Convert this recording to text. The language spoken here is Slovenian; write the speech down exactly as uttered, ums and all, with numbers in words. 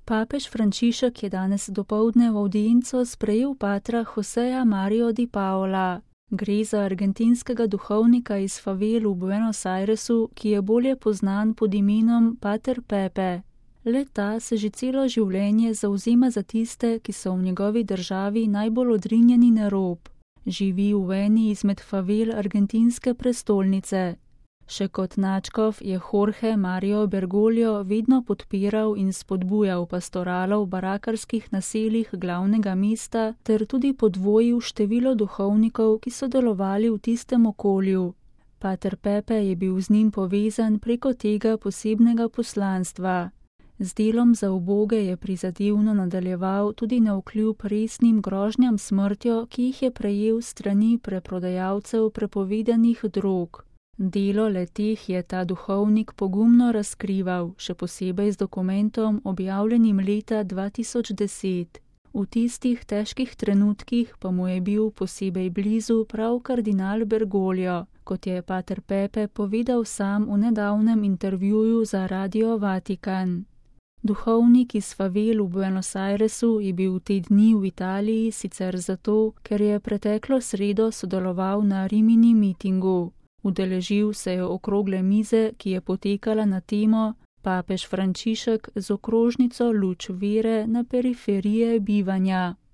Papež Frančišek je danes dopoldne v avdienco sprejel patra Joseja Mario Di Paola. Gre za argentinskega duhovnika iz favel v Buenos Airesu, ki je bolje poznan pod imenom Pater Pepe. Le-ta se že celo življenje zavzema za tiste, ki so v njegovi državi najbolj odrinjeni na rob. Živi v eni izmed favel argentinske prestolnice. Še kot nadškof je Jorge Mario Bergoglio vedno podpiral in spodbujal pastoralo v barakarskih naseljih glavnega mesta ter tudi podvojil število duhovnikov, ki so delovali v tistem okolju. Pater Pepe je bil z njim povezan preko tega posebnega poslanstva. Z delom za uboge je prizadevno nadaljeval tudi navkljub resnim grožnjam smrtjo, ki jih je prejel strani preprodajalcev prepovedanih drog. Delo le-teh je ta duhovnik pogumno razkrival, še posebej z dokumentom, objavljenim leta dva tisoč deset. V tistih težkih trenutkih pa mu je bil posebej blizu prav kardinal Bergoglio, kot je Pater Pepe povedal sam v nedavnem intervjuju za Radio Vatikan. Duhovnik iz favel v Buenos Airesu je bil te dni v Italiji sicer zato, ker je preteklo sredo sodeloval na Rimini mitingu. Udeležil se je okrogle mize, ki je potekala na temo Papež Frančišek z okrožnico Luč vere na periferije bivanja.